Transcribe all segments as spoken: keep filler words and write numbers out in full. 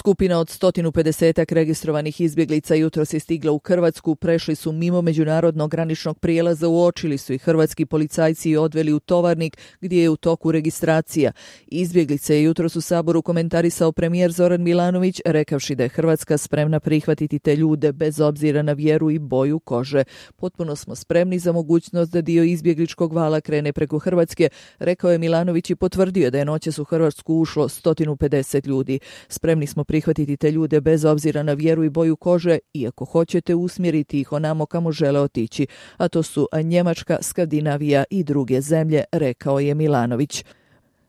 Skupina od sto pedeset registrovanih izbjeglica jutros je stigla u Hrvatsku, prešli su mimo međunarodnog graničnog prijelaza, uočili su i hrvatski policajci i odveli u Tovarnik gdje je u toku registracija. Izbjeglice je jutros u Saboru komentarisao premijer Zoran Milanović, rekavši da je Hrvatska spremna prihvatiti te ljude bez obzira na vjeru i boju kože. Potpuno smo spremni za mogućnost da dio izbjegličkog vala krene preko Hrvatske, rekao je Milanović i potvrdio da je noćas u Hrvatsku ušlo sto pedeset ljudi. Spremni smo prihvatiti te ljude bez obzira na vjeru i boju kože, iako hoćete usmjeriti ih onamo kamo žele otići, a to su Njemačka, Skandinavija i druge zemlje, rekao je Milanović.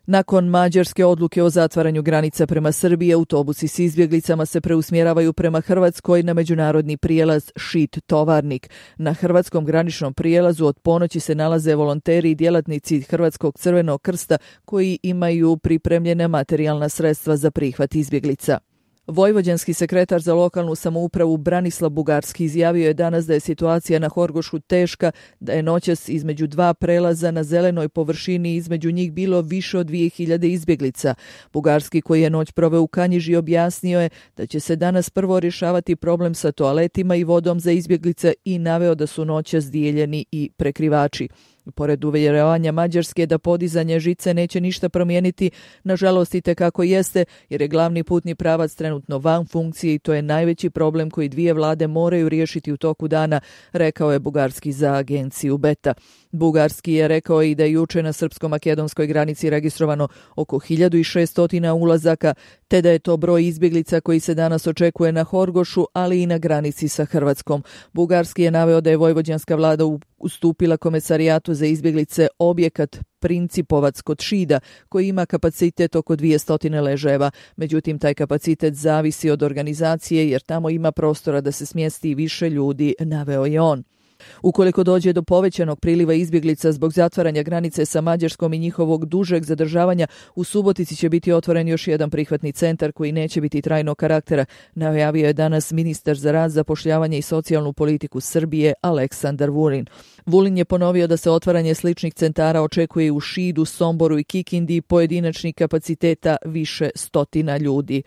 Nakon mađarske odluke o zatvaranju granica prema Srbiji, autobusi s izbjeglicama se preusmjeravaju prema Hrvatskoj na međunarodni prijelaz Šid Tovarnik. Na hrvatskom graničnom prijelazu od ponoći se nalaze volonteri i djelatnici Hrvatskog crvenog krsta koji imaju pripremljena materijalna sredstva za prihvat izbjeglica. Vojvođanski sekretar za lokalnu samoupravu Branislav Bugarski izjavio je danas da je situacija na Horgošu teška, da je noćas između dva prelaza na zelenoj površini između njih bilo više od dvije hiljade izbjeglica. Bugarski, koji je noć proveo u Kanjiži, objasnio je da će se danas prvo rješavati problem sa toaletima i vodom za izbjeglice i naveo da su noćas dijeljeni i prekrivači. Pored uvjeravanja Mađarske da podizanje žice neće ništa promijeniti, nažalost i tekako jeste, jer je glavni putni pravac trenutno van funkcije i to je najveći problem koji dvije vlade moraju riješiti u toku dana, rekao je Bugarski za agenciju Beta. Bugarski je rekao i da je juče na srpsko-makedonskoj granici registrovano oko hiljadu šesto ulazaka, te da je to broj izbjeglica koji se danas očekuje na Horgošu, ali i na granici sa Hrvatskom. Bugarski je naveo da je vojvođanska vlada ustupila Komesarijatu za izbjeglice objekat Principovac kod Šida, koji ima kapacitet oko dvjesto ležajeva. Međutim, taj kapacitet zavisi od organizacije jer tamo ima prostora da se smjesti više ljudi, naveo je on. Ukoliko dođe do povećanog priliva izbjeglica zbog zatvaranja granice sa Mađarskom i njihovog dužeg zadržavanja, u Subotici će biti otvoren još jedan prihvatni centar koji neće biti trajnog karaktera, najavio je danas ministar za rad, zapošljavanje i socijalnu politiku Srbije Aleksandar Vulin. Vulin je ponovio da se otvaranje sličnih centara očekuje u Šidu, Somboru i Kikindi, pojedinačnih kapaciteta više stotina ljudi.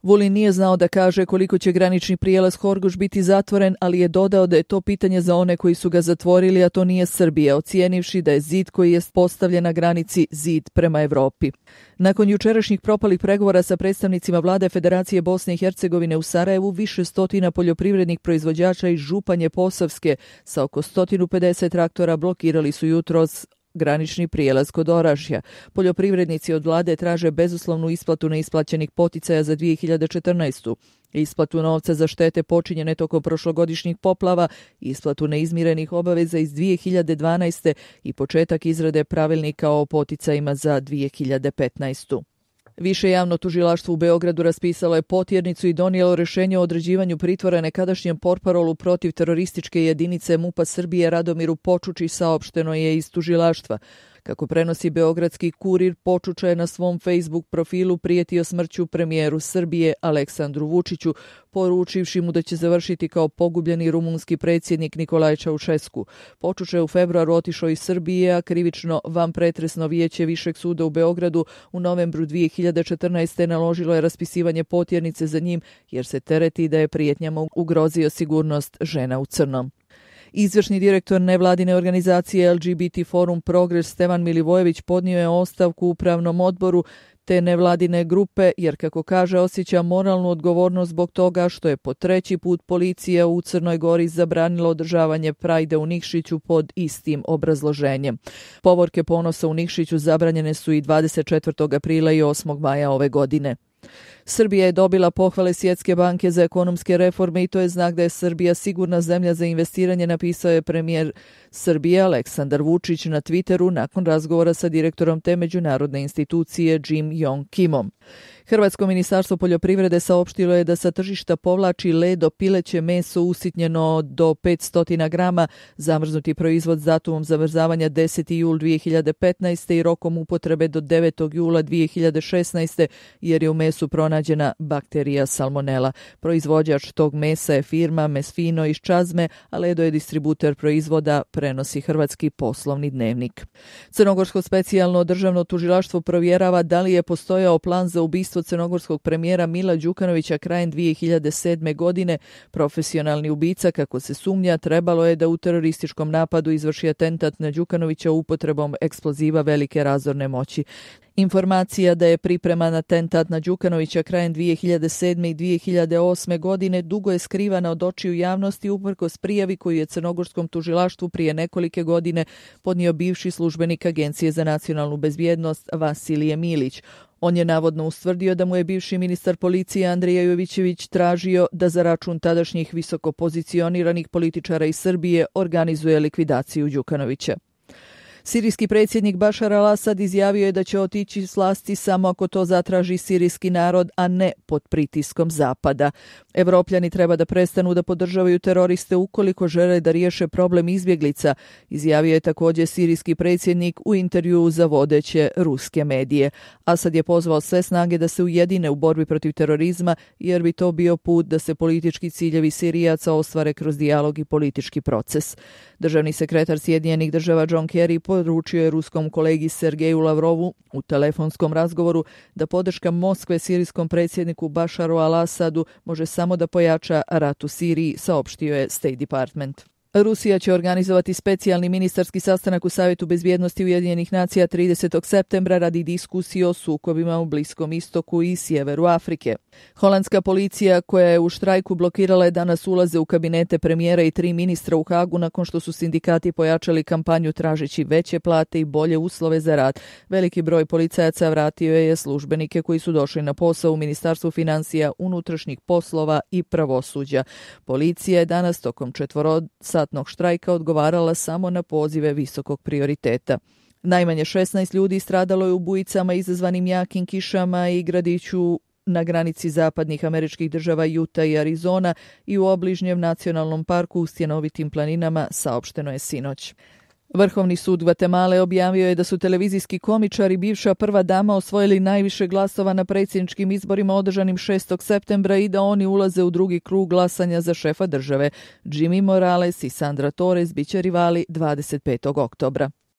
Vulin nije znao da kaže koliko će granični prijelaz Horgoš biti zatvoren, ali je dodao da je to pitanje za one koji su ga zatvorili, a to nije Srbija, ocijenivši da je zid koji je postavljen na granici zid prema Europi. Nakon jučerašnjih propalih pregovora sa predstavnicima vlade Federacije Bosne i Hercegovine u Sarajevu, više stotina poljoprivrednih proizvođača iz Županje Posavske sa oko sto pedeset traktora blokirali su jutros granični prijelaz kod Orašja. Poljoprivrednici od vlade traže bezuslovnu isplatu neisplaćenih poticaja za dvije hiljade četrnaestu. Isplatu novca za štete počinjene tokom prošlogodišnjih poplava, isplatu neizmirenih obaveza iz dvije hiljade dvanaeste i početak izrade pravilnika o poticajima za dvije hiljade petnaestu. Više javno tužilaštvo u Beogradu raspisalo je potjernicu i donijelo rješenje o određivanju pritvora nekadašnjem portparolu protiv terorističke jedinice MUP-a Srbije Radomiru Počuči, saopšteno je iz tužilaštva. Kako prenosi beogradski Kurir, Počuča je na svom Facebook profilu prijetio smrću premijeru Srbije Aleksandru Vučiću, poručivši mu da će završiti kao pogubljeni rumunski predsjednik Nikolaj Čaušesku. Počuča je u februaru otišao iz Srbije, a krivično vanpretresno vijeće Višeg suda u Beogradu u novembru dvije hiljade četrnaeste. naložilo je raspisivanje potjernice za njim jer se tereti da je prijetnjama ugrozio sigurnost žena u crnom. Izvršni direktor nevladine organizacije L G B T Forum Progres Stevan Milivojević podnio je ostavku u upravnom odboru te nevladine grupe jer, kako kaže, osjeća moralnu odgovornost zbog toga što je po treći put policija u Crnoj Gori zabranila održavanje Prajda u Nikšiću pod istim obrazloženjem. Povorke ponosa u Nikšiću zabranjene su i dvadeset četvrtog aprila i osmog maja ove godine. Srbija je dobila pohvale Svjetske banke za ekonomske reforme i to je znak da je Srbija sigurna zemlja za investiranje, napisao je premijer Srbije Aleksandar Vučić na Twitteru nakon razgovora sa direktorom te međunarodne institucije Jim Yong Kimom. Hrvatsko ministarstvo poljoprivrede saopštilo je da sa tržišta povlači ledo pileće meso usitnjeno do petsto grama, zamrznuti proizvod s datumom zamrzavanja deseti jul dvije hiljade petnaeste. i rokom upotrebe do devetog jula dvije hiljade šesnaeste. jer je u mesu pronađen pronađena bakterija salmonela. Proizvođač tog mesa je firma Mesfino iz Čazme, a Ledo je distributer proizvoda, prenosi Hrvatski poslovni dnevnik. Crnogorsko specijalno državno tužilaštvo provjerava da li je postojao plan za ubistvo crnogorskog premijera Mila Đukanovića krajem dvije hiljade sedme. godine. Profesionalni ubica, kako se sumnja, trebalo je da u terorističkom napadu izvrši atentat na Đukanovića upotrebom eksploziva velike razorne moći. Informacija da je pripreman atentat na Đukanovića krajem dvije hiljade sedme. i dvije hiljade osme. godine dugo je skrivana od očiju javnosti uprkos prijavi koju je crnogorskom tužilaštvu prije nekolike godine podnio bivši službenik Agencije za nacionalnu bezbjednost Vasilije Milić. On je navodno ustvrdio da mu je bivši ministar policije Andrija Jovićević tražio da za račun tadašnjih visoko pozicioniranih političara iz Srbije organizuje likvidaciju Đukanovića. Sirijski predsjednik Bašar al-Asad izjavio je da će otići s vlasti samo ako to zatraži sirijski narod, a ne pod pritiskom Zapada. Evropljani treba da prestanu da podržavaju teroriste ukoliko žele da riješe problem izbjeglica, izjavio je također sirijski predsjednik u intervjuu za vodeće ruske medije. Asad je pozvao sve snage da se ujedine u borbi protiv terorizma, jer bi to bio put da se politički ciljevi Sirijaca ostvare kroz dijalog i politički proces. Državni sekretar Sjedinjenih država John Kerry poručio je ruskom kolegi Sergeju Lavrovu u telefonskom razgovoru da podrška Moskve sirijskom predsjedniku Bašaru al-Asadu može samo da pojača rat u Siriji, saopštio je State Department. Rusija će organizovati specijalni ministarski sastanak u Savjetu bezbjednosti Ujedinjenih nacija tridesetog septembra radi diskusije o sukobima u Bliskom istoku i sjeveru Afrike. Holandska policija, koja je u štrajku blokirala je danas ulaze u kabinete premijera i tri ministra u Hagu nakon što su sindikati pojačali kampanju tražeći veće plate i bolje uslove za rad. Veliki broj policajaca vratio je službenike koji su došli na posao u Ministarstvu financija, unutrašnjih poslova i pravosuđa. Policija je danas tokom četvorosatnog štrajka odgovarala samo na pozive visokog prioriteta. Najmanje šesnaest ljudi stradalo je u bujicama izazvanim jakim kišama i gradiću na granici zapadnih američkih država Utah i Arizona i u obližnjem nacionalnom parku u stjenovitim planinama, saopšteno je sinoć. Vrhovni sud Gvatemale objavio je da su televizijski komičar i bivša prva dama osvojili najviše glasova na predsjedničkim izborima održanim šestog septembra i da oni ulaze u drugi krug glasanja za šefa države. Jimmy Morales i Sandra Torres biće rivali dvadeset petog oktobra.